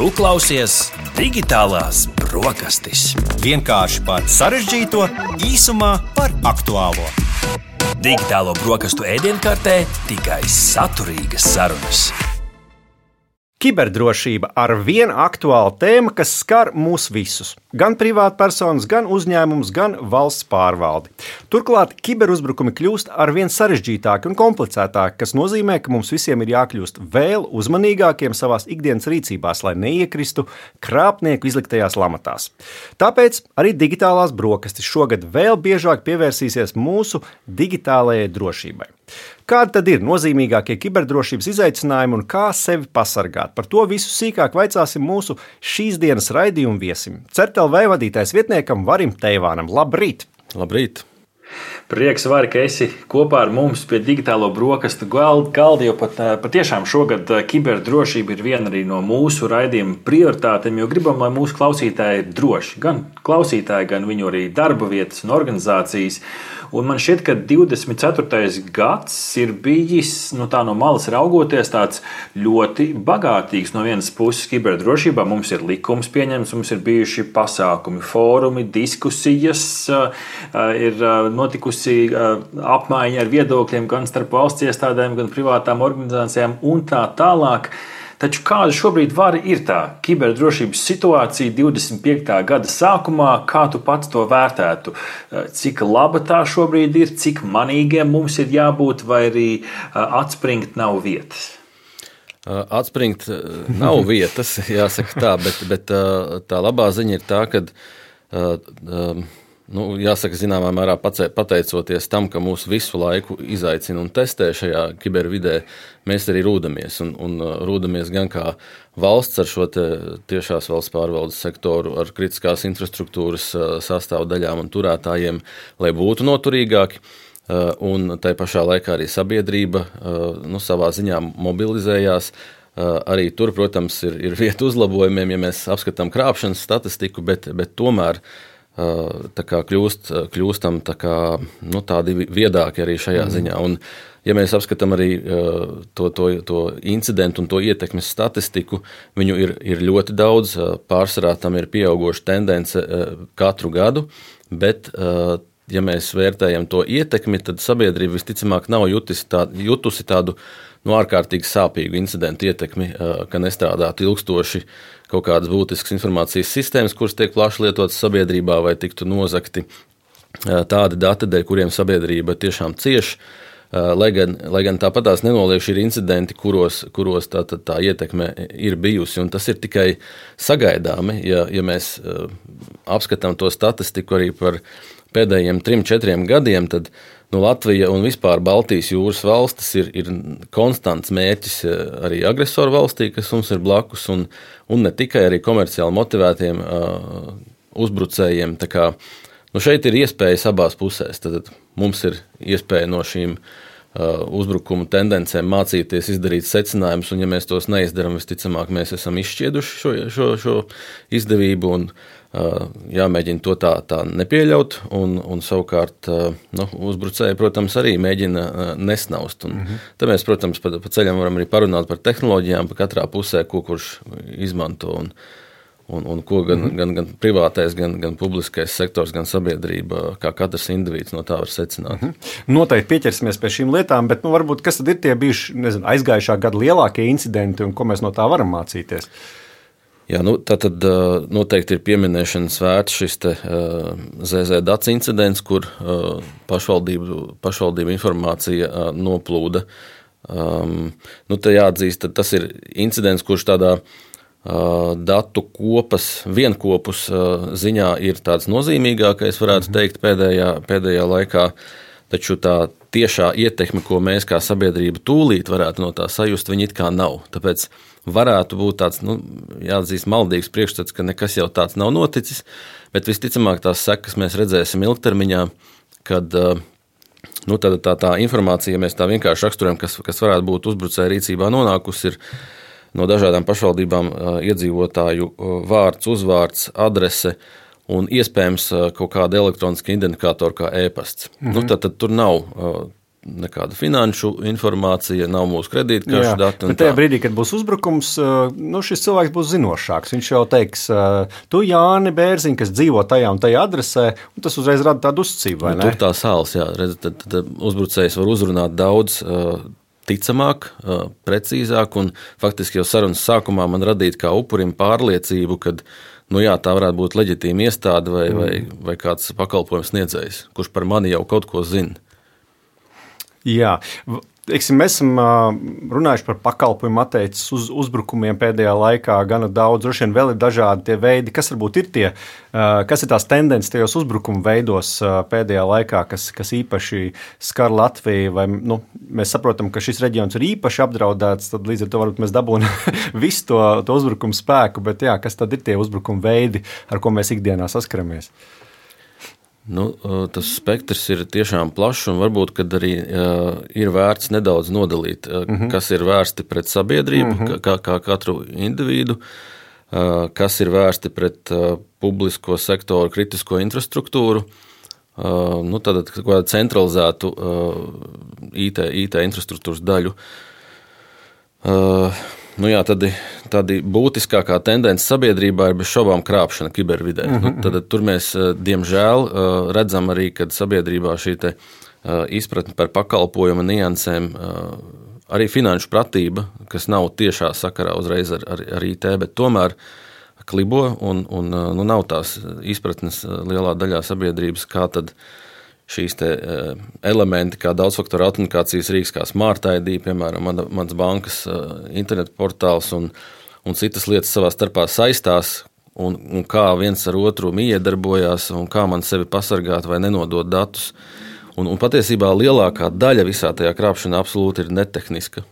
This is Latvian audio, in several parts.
Tu klausies Digitālās brokastis. Vienkārši par sarežģīto, īsumā par aktuālo. Digitālo brokastu ēdienkartē tikai saturīgas sarunas. Kiberdrošība ar vienu aktuālu tēmu, kas skar mūs visus. Gan privātpersonas, gan uzņēmumus, gan valsts pārvaldi. Turklāt kiberuzbrukumi kļūst arvien sarežģītāki un komplicētāki, kas nozīmē, ka mums visiem ir jākļūst vēl uzmanīgākiem savās ikdienas rīcībās, lai neiekristu krāpnieku izliktajās lamatās. Tāpēc arī Digitālās brokastis šogad vēl biežāk pievērsīsies mūsu digitālajai drošībai. Kādi tad ir nozīmīgākie kiberdrošības izaicinājumi un kā sevi pasargāt? Par to visu sīkāk vaicāsim mūsu šīs dienas raidījuma viesim. CERT.LV vadītājs vietniekam Varim Teivānam. Labrīt! Labrīt! Prieks, Vari, ka esi kopā ar mums pie digitālo brokastu galda, jo patiešām šogad kiberdrošība ir viena arī no mūsu raidījuma prioritātēm, jo gribam, lai mūsu klausītāji ir droši. Gan klausītāji, gan viņu arī darba vietas un organizācijas. Un man šķiet, ka 24. gads ir bijis, tā no malas raugoties, tāds ļoti bagātīgs. No vienas puses kiberdrošībā mums ir likums pieņemts, mums ir bijuši pasākumi, fórumi, diskusijas, ir notikusi apmaiņa ar viedokļiem gan starp valsts iestādēm, gan privātām organizācijām un tā tālāk. Taču kāda šobrīd ir tā kiberdrošības situācija 25. gada sākumā, kā tu pats to vērtētu? Cik laba tā šobrīd ir, cik manīgiem mums ir jābūt, vai arī atspringt nav vietas? Atspringt nav vietas, jāsaka tā, bet tā labā ziņa ir tā, ka jāsaka, zināmā mērā pateicoties tam, ka mūs visu laiku izaicina un testē šajā kibervidē, mēs arī rūdamies. Un rūdamies gan kā valsts ar šo tiešās valsts pārvaldes sektoru, ar kritiskās infrastruktūras sastāvdaļām un turētājiem, lai būtu noturīgāki. Un tai pašā laikā arī sabiedrība savā ziņā mobilizējās. Arī tur, protams, ir vieta uzlabojumiem, ja mēs apskatām krāpšanas statistiku, bet tomēr tā kā kļūstam tādi viedāki arī šajā ziņā. Un, ja mēs apskatām arī to incidentu un to ietekmes statistiku, viņu ir ļoti daudz, pārsvarā tam ir pieaugoša tendence katru gadu, bet, ja mēs vērtējam to ietekmi, tad sabiedrība visticamāk nav jutusi tādu ārkārtīgi sāpīgu incidentu ietekmi, ka nestrādātu ilgstoši kaut kādas būtiskas informācijas sistēmas, kuras tiek plaši lietotas sabiedrībā, vai tiktu nozagti tādi dati, dēļ kuriem sabiedrība tiešām cieš, lai gan tāpatās nenoliekši ir incidenti, kuros tā ietekme ir bijusi, un tas ir tikai sagaidāmi, ja mēs apskatām to statistiku arī par pēdējiem 3-4 gadiem, tad Latvija un vispār Baltijas jūras valstis ir konstants mērķis arī agresoru valstī, kas mums ir blakus, un ne tikai arī komerciāli motivētiem uzbrucējiem. Tā kā, šeit ir iespējas abās pusēs. Tad mums ir iespēja no šīm uzbrukumu tendencēm mācīties, izdarīt secinājumus, un ja mēs tos neizdaram, visticamāk mēs esam izšķieduši šo izdevību, un jāmēģina to tā nepieļaut, un savukārt uzbrucēji, protams, arī mēģina nesnaust. Te mēs, protams, pa ceļam varam arī parunāt par tehnoloģijām, pa katrā pusē, ko kurš izmanto, un ko gan privātais, gan publiskais sektors, gan sabiedrība, kā katrs indivīds no tā var secināt. Noteikti pieķersimies pie šīm lietām, bet varbūt kas tad ir tie bijuši, aizgājušā gada lielākie incidenti un ko mēs no tā varam mācīties? Jā, tātad noteikti ir pieminēšanas vērts šis ZZDAC incidents, kur pašvaldību informācija noplūda. Te jāatzīst, tas ir incidents, kurš tādā datu vienkopus ziņā ir tāds nozīmīgākais, varētu teikt, pēdējā laikā, taču tā tiešā ietekme, ko mēs kā sabiedrība tūlīt varētu no tā sajust, viņi it kā nav. Tāpēc varētu būt tāds, jāatzīst, maldīgs priekšstats, ka nekas jau tāds nav noticis, bet visticamāk tās sekas mēs redzēsim ilgtermiņā, kad tā informācija, ja mēs tā vienkārši raksturojam, kas varētu būt uzbrucēja rīcībā nonākusi, ir no dažādām pašvaldībām iedzīvotāju vārds, uzvārds, adrese un iespējams kaut kāda elektroniska identifikātora kā e-pasts. Tad tur nav nekāda finanšu informācija, nav mūsu kredītkaršu dati. Bet tajā brīdī, kad būs uzbrukums, šis cilvēks būs zinošāks. Viņš jau teiks, tu Jāni Bērziņ, kas dzīvo tajā un tajā adresē, un tas uzreiz rada tādu uzticību, vai ne? Tur tā sāls, jā. Tad uzbrucējs var uzrunāt daudz ticamāk, precīzāk, un faktiski jau sarunas sākumā man radīt kā upurim pārliecību, kad tā varētu būt leģitīma iestāde vai kāds pakalpojums sniedzējs, kurš par mani jau kaut ko zina. Jā, mēs esam runājuši par pakalpojumu attiecis uz uzbrukumiem pēdējā laikā gana daudz. Droši vien vēl ir dažādi tie veidi, kas varbūt ir kas ir tās tendences tajos uzbrukumu veidos pēdējā laikā, kas īpaši skar Latviju, vai mēs saprotam, ka šis reģions ir īpaši apdraudēts, tad līdz ar to varbūt mēs dabūjam visu to uzbrukumu spēku, bet kas tad ir tie uzbrukumu veidi, ar ko mēs ikdienā saskaramies? Tas spektrs ir tiešām plašs, un varbūt arī ir vērts nedaudz nodalīt, kas ir vērsti pret sabiedrību, kā katru individu, kas ir vērsti pret publisko sektoru, kritisko infrastruktūru, tad kādu centralizētu IT infrastruktūras daļu. Tāda būtiskākā tendence sabiedrībā ir bez šaubām krāpšana kibervidē. Tad tur mēs, diemžēl, redzam arī, kad sabiedrībā šī izpratne par pakalpojumu niansēm, arī finanšu pratība, kas nav tiešā sakarā uzreiz ar IT, bet tomēr klibo un nav tās izpratnes lielā daļā sabiedrības, kā tad šīs elementi, kā daudzfaktoru autentikācijas rīks, kā Smart ID, piemēram, mans bankas internetu portāls un citas lietas savā starpā saistās, un kā viens ar otru iedarbojās, un kā man sevi pasargāt vai nenodot datus. Un patiesībā lielākā daļa visā tajā krāpšanā absolūti ir netehniska.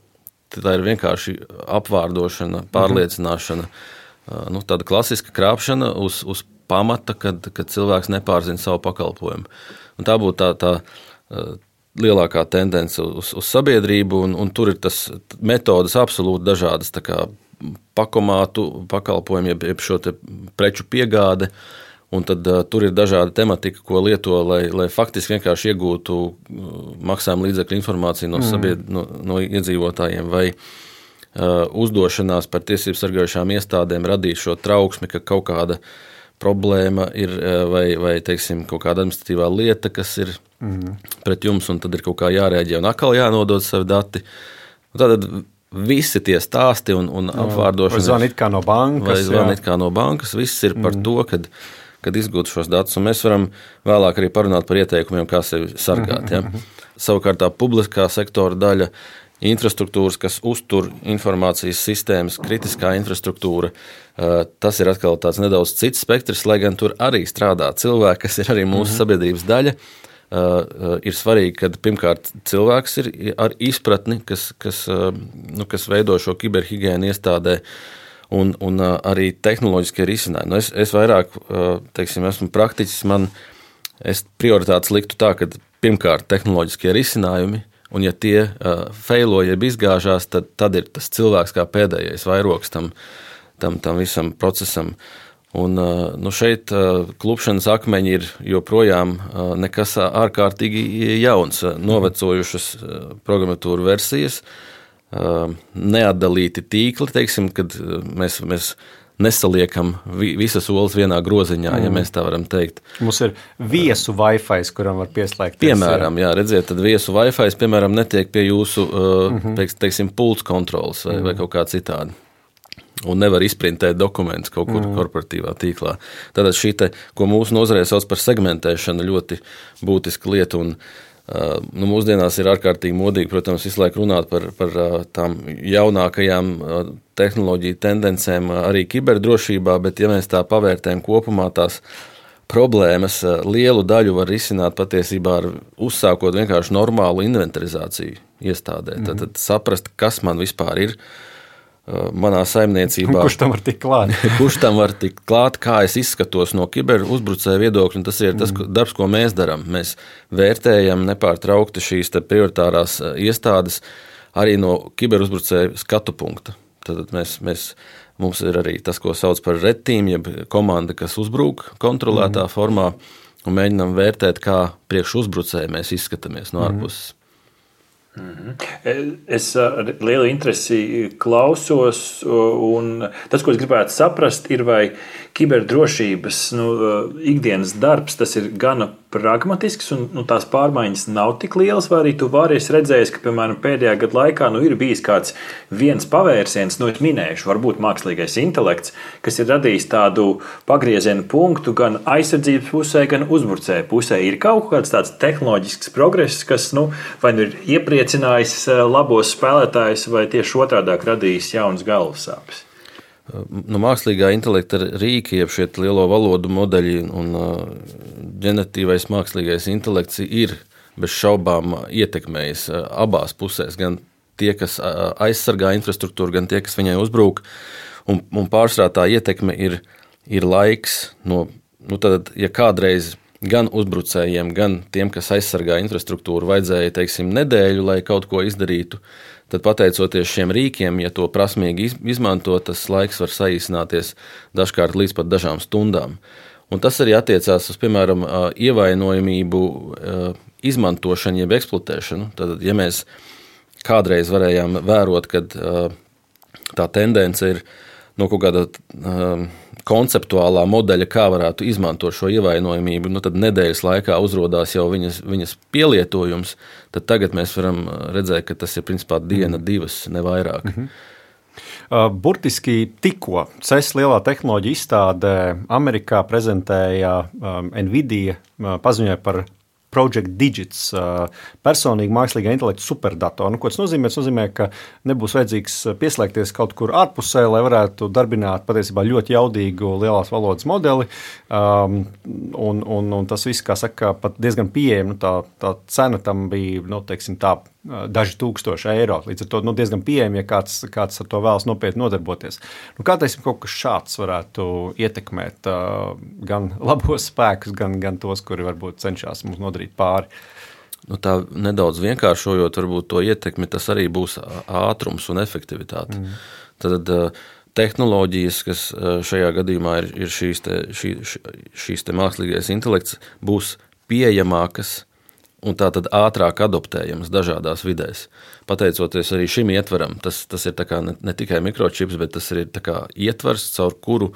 Tā ir vienkārši apvārdošana, pārliecināšana, tāda klasiska krāpšana uz pamata, kad cilvēks nepārzina savu pakalpojumu. Un tā būtu tā lielākā tendence uz sabiedrību, un tur ir tas metodas absolūti dažādas, tā kā pakomātu pakalpojumi, jeb šo te preču piegāde, un tad tur ir dažāda tematika, ko lieto, lai faktiski vienkārši iegūtu maksājuma līdzekļu informāciju no iedzīvotājiem, vai uzdošanās par tiesību sargājušām iestādēm radīt šo trauksmi, ka kaut kāda problēma ir vai teiksim, kaut kāda administratīvā lieta, kas ir pret jums, un tad ir kaut kā jārēģē un atkal jānodod savi dati. Tad visi tie stāsti un apvārdošanas. Vai zvani it kā no bankas. Vai zvani it kā no bankas. Viss ir par to, kad izgūt šos datus, un mēs varam vēlāk arī parunāt par ieteikumiem, kā sevi sargāt. Ja? Savukārt tā publiskā sektora daļa, infrastruktūras, kas uztur informācijas sistēmas, kritiskā infrastruktūra, tas ir atkal tāds nedaudz cits spektrs, lai gan tur arī strādā cilvēki, kas ir arī mūsu sabiedrības daļa. Ir svarīgi, ka pirmkārt cilvēks ir ar izpratni, kas veido šo kiberhigiēnu iestādē, un arī tehnoloģiskie risinājumi. Es vairāk, esmu praktiķis, es prioritātes liktu tā, ka pirmkārt tehnoloģiskie risinājumi, un ja tie feilo, jeb izgāžās, tad ir tas cilvēks kā pēdējais vairogs tam visam procesam. Un šeit klupšanas akmeņi ir joprojām nekas ārkārtīgi jauns, novecojušas programmatūra versijas, neatdalīti tīkli, teiksim, kad mēs nesaliekam visas olas vienā groziņā, ja mēs tā varam teikt. Mums ir viesu Wi-Fi, kuram var pieslēgties. Piemēram, jā, redziet, tad viesu Wi-Fi, piemēram, netiek pie jūsu, teiksim, pults kontrols vai kaut kā citādi. Un nevar izprintēt dokumentus kaut kur korporatīvā tīklā. Tātad šī ko mūsu nozarē sauc par segmentēšanu, ļoti būtiska lieta, un mūsdienās ir ārkārtīgi modīgi, protams, visu laiku runāt par tām jaunākajām tehnoloģiju tendencēm arī kiberdrošībā, bet ja mēs tā pavērtējam kopumā tās problēmas, lielu daļu var risināt patiesībā ar uzsākot vienkārši normālu inventarizāciju iestādē. Tad saprast, kas man vispār ir manā saimniecībā. Kurš tam var tikt klāt? Kurš tam var tikt klāt, kā es izskatos no kiberuzbrucēja viedokļa, un tas ir tas darbs, ko mēs darām. Mēs vērtējam nepārtraukti šīs prioritārās iestādes arī no kiberuzbrucēja skatu punkta. Tad mums ir arī tas, ko sauc par red team, jeb komanda, kas uzbrūk kontrolētā formā, un mēģinām vērtēt, kā priekš uzbrucēja mēs izskatāmies no ārpuses. Es ar lielu interesi klausos, un tas, ko es gribētu saprast, ir, vai kiberdrošības ikdienas darbs tas ir gana pragmatisks, un tās pārmaiņas nav tik lielas, vai arī tu vari redzēt, ka, piemēram, pēdējā gada laikā ir bijis kāds viens pavērsiens, es minēšu, varbūt mākslīgais intelekts, kas ir radījis tādu pagrieziena punktu gan aizsardzības pusē, gan uzbrucēju pusē. Ir kaut kāds tāds tehnoloģisks progress, kas vai ir iepriecinājis labos spēlētājus, vai tieši otrādāk radījis jaunas galvasāpes. Mākslīgā intelekta rīki, jeb šie lielo valodu modeļi un ģeneratīvais mākslīgais intelekts ir bez šaubām ietekmējis abās pusēs, gan tie, kas aizsargā infrastruktūru, gan tie, kas viņai uzbrūk. Un pārsvarā tā ietekme ir laiks. Tad, ja kādreiz gan uzbrucējiem, gan tiem, kas aizsargā infrastruktūru, vajadzēja, teiksim, nedēļu, lai kaut ko izdarītu, tad pateicoties šiem rīkiem, ja to prasmīgi izmanto, tas laiks var saīsināties dažkārt līdz pat dažām stundām. Un tas arī attiecās uz, piemēram, ievainojamību izmantošanu jeb eksploatēšanu. Tad, ja mēs kādreiz varējām vērot, kad tā tendence ir no kaut kāda konceptuālā modeļa, kā varētu izmantot šo ievainojamību, tad nedēļas laikā uzrodās jau viņas pielietojums, tad tagad mēs varam redzēt, ka tas ir principā diena, divas, ne vairāk. Burtiski tikko CES lielā tehnoloģija izstādē Amerikā prezentēja Nvidia, paziņoja par Project Digits, personīgi mākslīgā intelekta superdatoru. Ko tas nozīmē? Tas nozīmē, ka nebūs vajadzīgs pieslēgties kaut kur ārpusē, lai varētu darbināt patiesībā ļoti jaudīgu lielās valodas modeli. Un tas viss, kā saka, pat diezgan pieejami. Tā cena tam bija, teiksim tā, daži tūkstoši eiro. Līdz ar to diezgan pieejami, ja kāds ar to vēlas nopietni nodarboties. Kā teiksim, kaut kas šāds varētu ietekmēt gan labos spēkus, gan tos, kuri varbūt cenšas mums nodarīt pāri? Tā nedaudz vienkāršojot, varbūt to ietekmi, tas arī būs ātrums un efektivitāte. Tad tehnoloģijas, kas šajā gadījumā ir šīs mākslīgais intelekts, būs pieejamākas un tātad ātrāk adoptējamas dažādās vidēs. Pateicoties arī šim ietveram, tas ir tā kā ne tikai mikročips, bet tas ir tā kā ietvers, caur kuru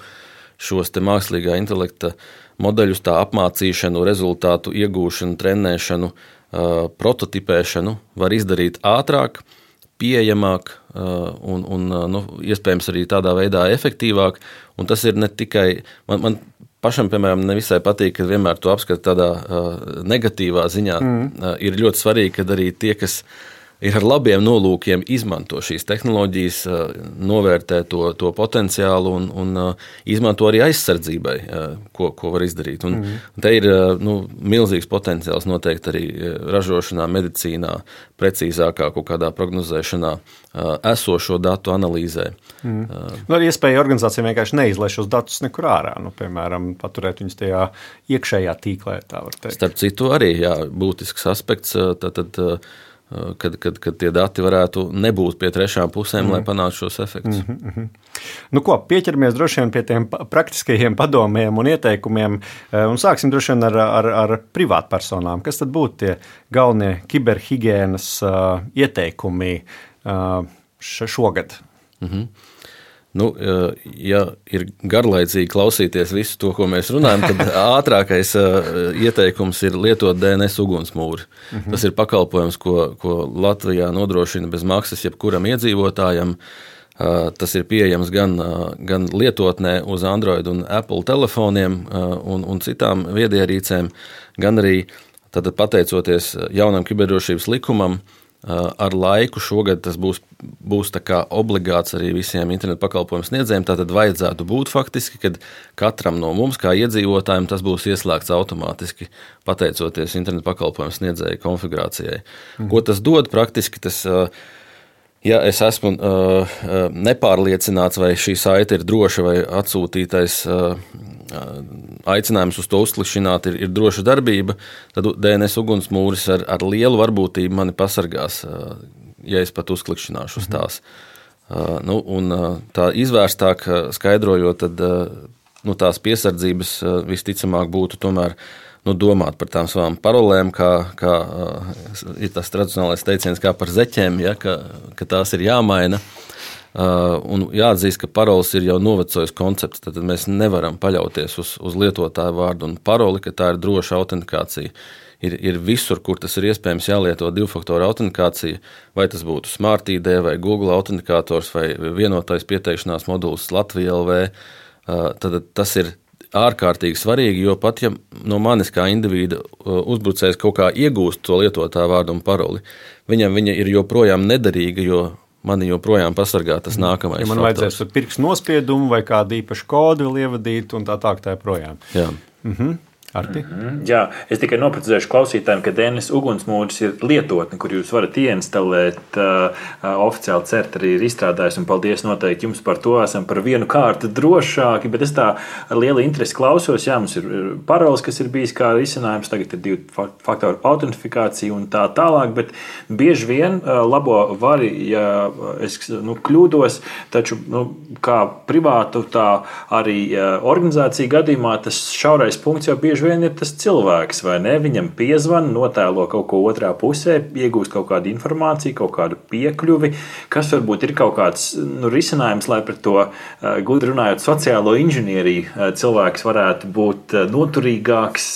šos te mākslīgā intelekta modeļus, tā apmācīšanu, rezultātu iegūšanu, trenēšanu, prototipēšanu var izdarīt ātrāk, pieejamāk un iespējams arī tādā veidā efektīvāk. Un tas ir ne tikai man pašam, piemēram, nevisai patīk, ka vienmēr to apskata tādā negatīvā ziņā. Ir ļoti svarīgi, ka arī tie, kas ir ar labiem nolūkiem, izmanto šīs tehnoloģijas, novērtē to potenciālu un izmanto arī aizsardzībai, ko var izdarīt. Un te ir milzīgs potenciāls noteikti arī ražošanā, medicīnā, precīzākā kaut kādā prognozēšanā, esošo datu analīzē. Ir iespēja organizācijām vienkārši neizlaist šos datus nekur ārā, piemēram, paturēt viņus tajā iekšējā tīklē, tā var teikt. Starp citu arī, būtisks aspekts, kad tie dati varētu nebūt pie trešām pusēm, lai panāktu šos efektus. Pieķeramies droši vien pie tiem praktiskajiem padomiem un ieteikumiem, un sāksim droši vien ar privātpersonām. Kas tad būtu tie galvenie kiberhigienas ieteikumi šogad? Ja ir garlaicīgi klausīties visu to, ko mēs runājam, tad ātrākais ieteikums ir lietot DNS ugunsmūri. Tas ir pakalpojums, ko Latvijā nodrošina bez maksas jebkuram iedzīvotājam. Tas ir pieejams gan lietotnē uz Android un Apple telefoniem un citām viedierīcēm, gan arī tad, pateicoties jaunam kiberdrošības likumam, ar laiku šogad tas būs tā kā obligāts arī visiem internetu pakalpojumu sniedzējiem. Tātad vajadzētu būt faktiski, kad katram no mums, kā iedzīvotājiem, tas būs ieslēgts automātiski, pateicoties internetu pakalpojumu sniedzēju konfigurācijai. Ko tas dod praktiski? Ja es esmu nepārliecināts, vai šī saite ir droša, vai atsūtītais aicinājums uz to uzklikšķināt ir droša darbība, tad DNS ugunsmūris ar lielu varbūtību mani pasargās, ja es pat uzklikšķināšu uz tās. Un tā izvērstāk skaidrojot, tad tās piesardzības visticamāk būtu tomēr domāt par tām savām parolēm, kā ir tas tradicionālais teiciens, kā par zeķiem, ja, ka tās ir jāmaina. Un jāatzīst, ka paroles ir jau novecojis koncepts, tad mēs nevaram paļauties uz lietotāju vārdu un paroli, ka tā ir droša autentikācija. Ir visur, kur tas ir iespējams, jālieto divfaktoru autentikācija, vai tas būtu Smart ID, vai Google autentikators, vai vienotais pieteikšanās moduls Latvija LV. Tad tas ir ārkārtīgi svarīgi, jo pat ja no manis kā individa uzbrucējs kaut kā iegūst to lietotāju vārdu un paroli, viņam viņa ir joprojām nederīga, jo mani joprojām pasargā tas nākamais. Ja man vajadzēs pirkstu nospiedumu vai kādu īpašu kodu vēl ievadīt un tā projām. Jā. Arti? Jā, es tikai noprecizēšu klausītājiem, ka DNS ugunsmūris ir lietotne, kur jūs varat ieinstalēt. Oficiāli CERT arī ir izstrādājis, un paldies noteikti jums par to. Esam par vienu kārtu drošāki, bet es tā ar lielu interesi klausos. Jā, mums ir paroles, kas ir bijis kā risinājums, tagad ir divu faktoru autentifikācija un tā tālāk, bet bieži vien labo vari, ja es kļūdos, taču kā privātu, tā arī organizācija gadījumā tas šaurais punkts jau bieži vien ir tas cilvēks, vai ne? Viņam piezvan, notēlo kaut ko otrā pusē, iegūst kaut kādu informāciju, kaut kādu piekļuvi, kas varbūt ir kaut kāds risinājums, lai pret to, gudri runājot, sociālo inženieriju cilvēks varētu būt noturīgāks.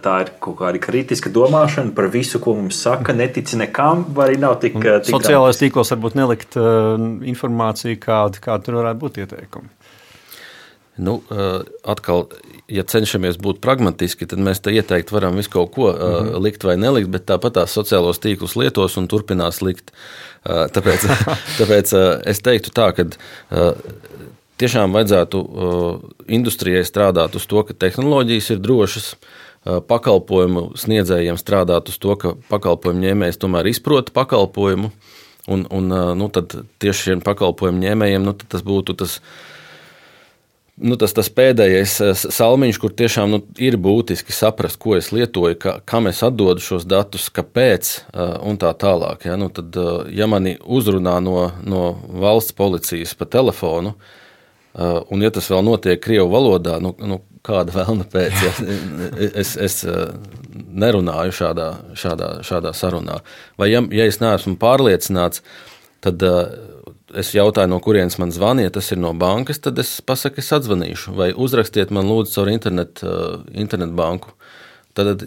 Tā ir kaut kāda kritiska domāšana par visu, ko mums saka, netici nekam, vai arī nav tik sociālais tīklos varbūt nelikt informāciju, kāda tur varētu būt ieteikumi. Atkal, ja cenšamies būt pragmatiski, tad mēs te ieteikt varam visu kaut ko likt vai nelikt, bet tāpat tās sociālos tīklus lietos un turpinās likt. Tāpēc es teiktu tā, ka tiešām vajadzētu industrijai strādāt uz to, ka tehnoloģijas ir drošas, pakalpojumu sniedzējiem strādāt uz to, ka pakalpojumu ņēmējs tomēr izprot pakalpojumu, un tad tieši šiem pakalpojumu ņēmējiem tad tas būtu tas pēdējais salmiņš, kur tiešām ir būtiski saprast, ko es lietoju, kam es atdodu šos datus, kāpēc un tā tālāk. Ja? Tad, ja mani uzrunā no valsts policijas pa telefonu, un ja tas vēl notiek krievu valodā, kāda vēlna pēc, ja? Es nerunāju šādā sarunā. Vai ja es neesmu pārliecināts, tad es jautāju, no kurienes man zvaniet, tas ir no bankas, tad es pasaku, es atzvanīšu, vai uzrakstiet man lūdzu caur internet banku. Tad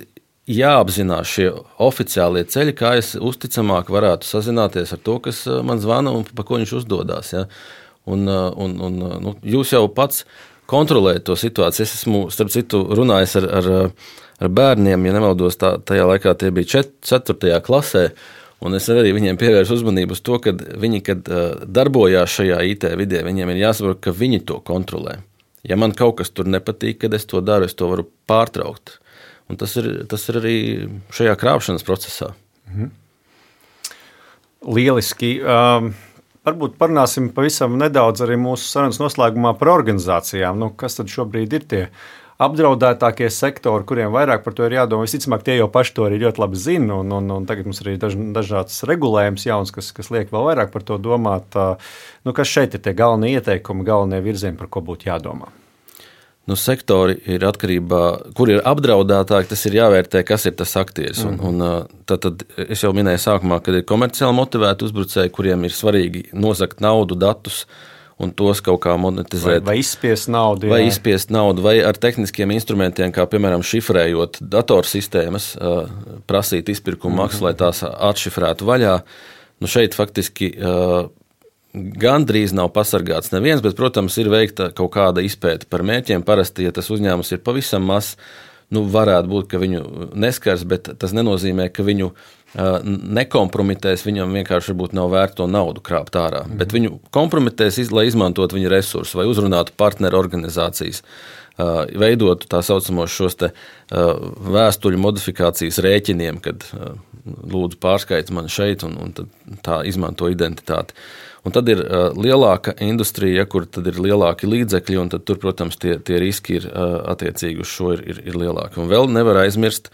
jāapzinās šie oficiālie ceļi, kā es uzticamāk varētu sazināties ar to, kas man zvana un pa ko viņš uzdodās. Ja? Jūs jau pats kontrolējat to situāciju. Es esmu, starp citu, runājis ar bērniem, ja nemaldos, tajā laikā tie bija 4. klasē, un es arī viņiem pievēršu uzmanību uz to, ka viņi, kad darbojās šajā IT vidē, viņiem ir jāsaprot, ka viņi to kontrolē. Ja man kaut kas tur nepatīk, kad es to daru, es to varu pārtraukt. Un tas ir arī šajā krāpšanas procesā. Lieliski. Varbūt parunāsim pavisam nedaudz arī mūsu sarunas noslēgumā par organizācijām. Kas tad šobrīd ir tie apdraudētākie sektori, kuriem vairāk par to ir jādomā? Visticamāk, tie jau paši to arī ļoti labi zina, un tagad mums arī dažāds regulējums jauns, kas liek vēl vairāk par to domāt. Kas šeit ir tie galvenie ieteikumi, galvenie virzieni, par ko būtu jādomā? Sektori ir atkarībā, kur ir apdraudētāki, tas ir jāvērtē, kas ir tas aktieris. Tad es jau minēju sākumā, kad ir komerciāli motivēti uzbrucēji, kuriem ir svarīgi nozagt naudu, datus, un tos kaut kā monetizēt. Vai izspiest naudu. Vai ar tehniskiem instrumentiem, kā piemēram šifrējot datorsistēmas, prasīt izpirkumu maksu, lai tās atšifrētu vaļā. Šeit faktiski gandrīz nav pasargāts neviens, bet, protams, ir veikta kaut kāda izpēta par mērķiem. Parasti, ja tas uzņēmums ir pavisam mazs, varētu būt, ka viņu neskars, bet tas nenozīmē, ka viņu nekompromitēs, viņam vienkārši varbūt nav vērts to naudu krāpt ārā, bet viņu kompromitēs, lai izmantot viņa resursus vai uzrunātu partneru organizācijas, veidotu tā saucamos šos te vēstuļu modifikācijas rēķiniem, kad lūdzu pārskaits man šeit un tad tā izmanto identitāti. Un tad ir lielāka industrija, kur tad ir lielāki līdzekļi, un tad tur, protams, tie riski ir attiecīgi uz šo ir lielāki. Un vēl nevar aizmirst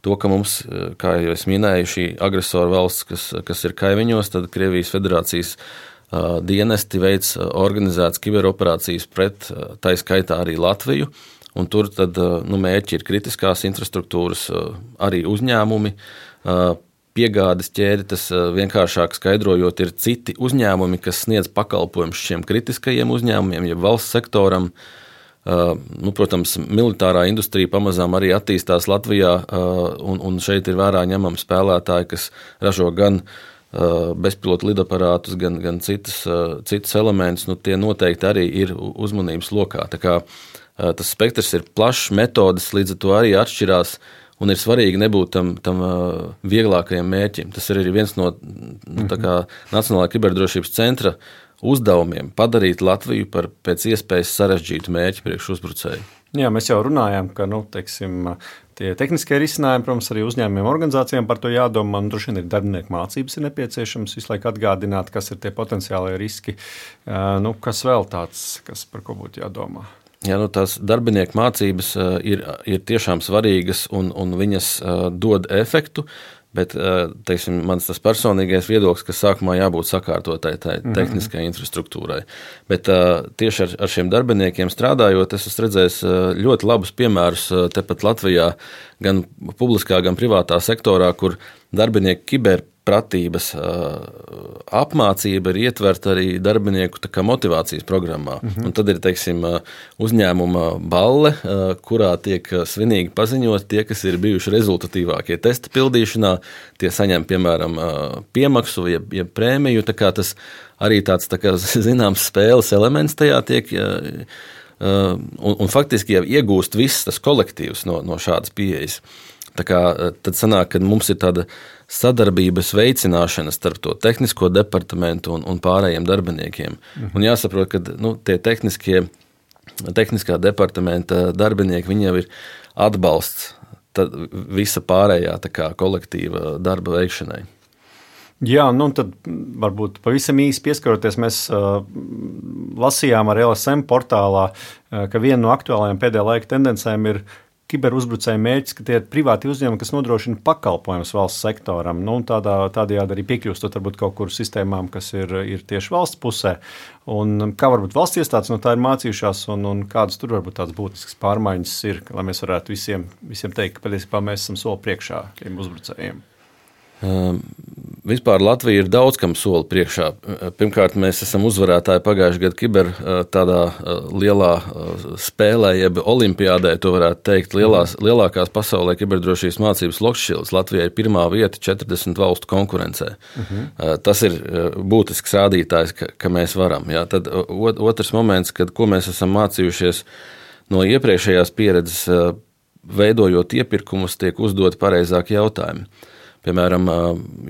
to, ka mums, kā jau es minēju, šī agresora valsts, kas ir kaimiņos, tad Krievijas Federācijas dienesti veic organizētas kiberoperācijas pret, tā skaitā arī Latviju, un tur tad, mērķi ir kritiskās infrastruktūras, arī uzņēmumi, piegādes ķēde, tas vienkāršāk skaidrojot, ir citi uzņēmumi, kas sniedz pakalpojumus šiem kritiskajiem uzņēmumiem, jeb valsts sektoram. Protams, militārā industrija pamazām arī attīstās Latvijā, un šeit ir vērā ņemami spēlētāji, kas ražo gan bezpilotu lidaparātus, gan citus elementus. Tie noteikti arī ir uzmanības lokā. Tā kā tas spektrs ir plašs, metodes līdz ar to arī atšķirās. Un ir svarīgi nebūt tam vieglākajam mērķim. Tas ir arī viens no Nacionālā kiberdrošības centra uzdevumiem – padarīt Latviju par pēc iespējas sarežģītu mērķi priekš uzbrucēju. Jā, mēs jau runājām, ka tie tehniskie risinājumi, protams, arī uzņēmumiem organizācijām par to jādomā. Droši vien ir darbinieku mācības ir nepieciešams visu laiku atgādināt, kas ir tie potenciālie riski. Kas vēl tāds, kas par ko būtu jādomā? Jā, tās darbinieku mācības ir tiešām svarīgas un viņas dod efektu, bet, teiksim, mans tas personīgais viedoklis, ka sākumā jābūt sakārtotai tehniskai infrastruktūrai. Bet tieši ar šiem darbiniekiem strādājot, es esmu redzējis ļoti labus piemērus tepat Latvijā, gan publiskā, gan privātā sektorā, kur darbinieki kiberpratības apmācība ir ietverta arī darbinieku motivācijas programmā. Un tad ir, teiksim, uzņēmuma balle, kurā tiek svinīgi paziņot tie, kas ir bijuši rezultatīvākie testa pildīšanā, tie saņem, piemēram, piemaksu, jeb prēmiju, tā kā tas arī tāds, zināms, spēles elements tajā tiek, un faktiski jau iegūst viss tas kolektīvs no šādas pieejas. Tā kā tad sanāk, ka mums ir tāda sadarbības veicināšana starp to tehnisko departamentu un pārējiem darbiniekiem. Un jāsaprot, ka tie tehniskā departamenta darbinieki, viņi jau ir atbalsts visa pārējā kolektīva darba veikšanai. Jā, tad varbūt pavisam īsi pieskaroties, mēs lasījām ar LSM portālā, ka viena no aktuālajām pēdējā laika tendencēm ir kiberuzbrucēju mērķis, ka tie ir privāti uzņēmumi, kas nodrošina pakalpojumus valsts sektoram. Tādējādi arī piekļūstot varbūt kaut kur sistēmām, kas ir tieši valsts pusē. Un kā varbūt valsts iestādes no tā ir mācījušās un kādas tur varbūt tādas būtiskas pārmaiņas ir, lai mēs varētu visiem teikt, ka patiesībā mēs esam soli priekšā tiem uzbrucējiem. Vispār Latvija ir daudz kam soli priekšā. Pirmkārt, mēs esam uzvarētāji pagājušajā gadā kiber tādā lielā spēlē, jeb olimpiādē, to varētu teikt, lielākās pasaulē kiberdrošības mācības Lokšķils. Latvijai ir pirmā vieta 40 valstu konkurencē. Tas ir būtisks rādītājs, ka mēs varam. Jā. Tad otrs moments, ko mēs esam mācījušies no iepriekšējās pieredzes, veidojot iepirkumus, tiek uzdot pareizāki jautājumi. Piemēram,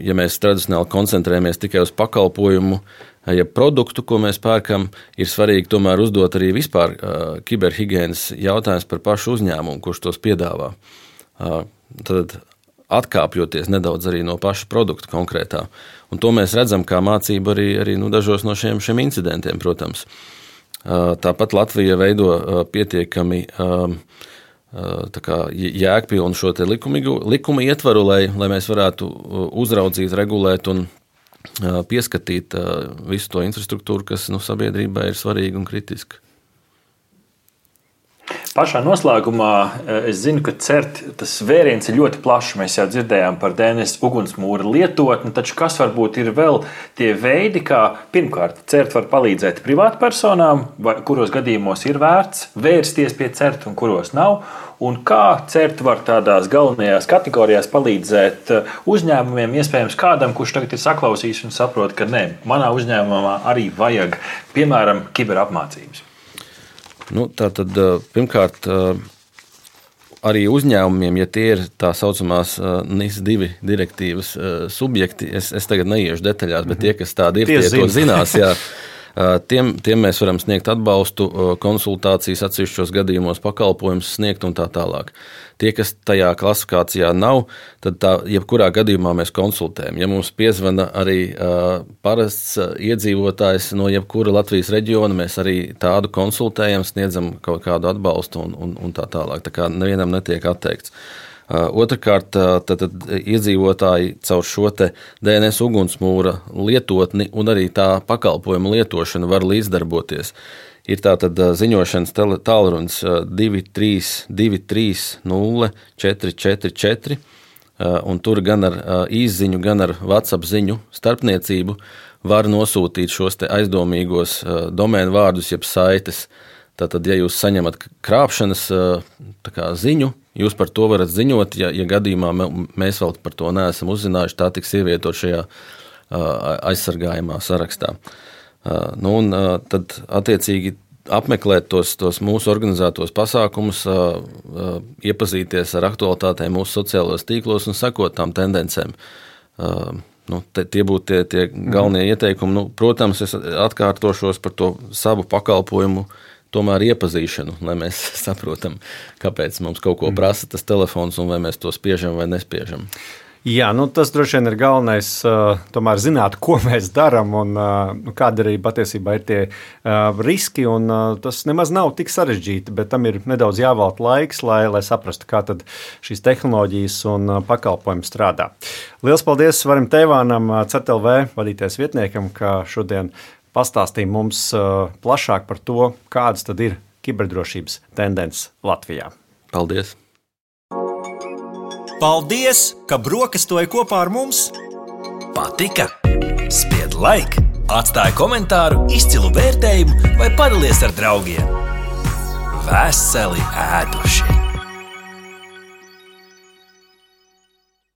ja mēs tradicionāli koncentrējamies tikai uz pakalpojumu, ja produktu, ko mēs pērkam, ir svarīgi tomēr uzdot arī vispār kiberhigienas jautājums par pašu uzņēmumu, kurš tos piedāvā. Tad atkāpjoties nedaudz arī no paša produkta konkrētā. Un to mēs redzam kā mācību arī dažos no šiem incidentiem, protams. Tāpat Latvija veido pietiekami jēgpilnu šo te likuma ietvaru, lai mēs varētu uzraudzīt, regulēt un pieskatīt visu to infrastruktūru, kas sabiedrībai ir svarīga un kritiska. Pašā noslēgumā es zinu, ka CERT tas vēriens ir ļoti plašs. Mēs jau dzirdējām par DNS ugunsmūra lietotni, taču kas varbūt ir vēl tie veidi, kā pirmkārt CERT var palīdzēt privātpersonām, kuros gadījumos ir vērts vērsties pie CERT un kuros nav, un kā CERT var tādās galvenajās kategorijās palīdzēt uzņēmumiem, iespējams kādam, kurš tagad ir saklausījis un saprot, ka nē, manā uzņēmumā arī vajag, piemēram, kiberapmācības. Tātad, pirmkārt, arī uzņēmumiem, ja tie ir tā saucamās NIS-2 direktīvas subjekti, es tagad neiešu detaļās, bet tie, kas tādi ir, tie to zinās, jā. Tiem mēs varam sniegt atbalstu, konsultācijas atsevišķos gadījumos, pakalpojumus sniegt un tā tālāk. Tie, kas tajā klasifikācijā nav, tad jebkurā gadījumā mēs konsultējam. Ja mums piezvana arī parasts iedzīvotājs no jebkura Latvijas reģiona, mēs arī tādu konsultējam, sniedzam kaut kādu atbalstu un tā tālāk. Tā kā nevienam netiek atteikts. Otrakārt, tad iedzīvotāji caur šo te DNS ugunsmūra lietotni un arī tā pakalpojuma lietošanu var līdzdarboties. Ir tātad ziņošanas tālrunis 232304444, un tur gan ar īsziņu, gan ar WhatsApp ziņu starpniecību var nosūtīt šos te aizdomīgos domēnu vārdus, jeb saites. Tātad, ja jūs saņemat krāpšanas ziņu, jūs par to varat ziņot, ja gadījumā mēs vēl par to neesam uzzinājuši, tā tiks ievietot šajā aizsargājumā sarakstā. Tad attiecīgi apmeklēt tos mūsu organizētos pasākumus, iepazīties ar aktualitātēm mūsu sociālajos tīklos un sekot tām tendencēm. Tie būtu tie galvenie ieteikumi. Protams, es atkārtošos par to savu pakalpojumu tomēr iepazīšanu, lai mēs saprotam, kāpēc mums kaut ko prasa tas telefons un vai mēs to spiežam vai nespiežam. Jā, tas droši vien ir galvenais, tomēr zināt, ko mēs darām un kādi arī patiesībā ir tie riski, un tas nemaz nav tik sarežģīti, bet tam ir nedaudz jāvelta laiks, lai saprastu, kā tad šīs tehnoloģijas un pakalpojumi strādā. Liels paldies Varim Teivānam, CERT.LV vadītājs vietniekam, ka šodien pastāstīja mums plašāk par to, kādas tad ir kiberdrošības tendences Latvijā. Paldies! Paldies, ka brokastoji kopā ar mums! Patika? Spied like, atstāj komentāru, izcilu vērtējumu vai padalies ar draugiem. Veseli ēdošie!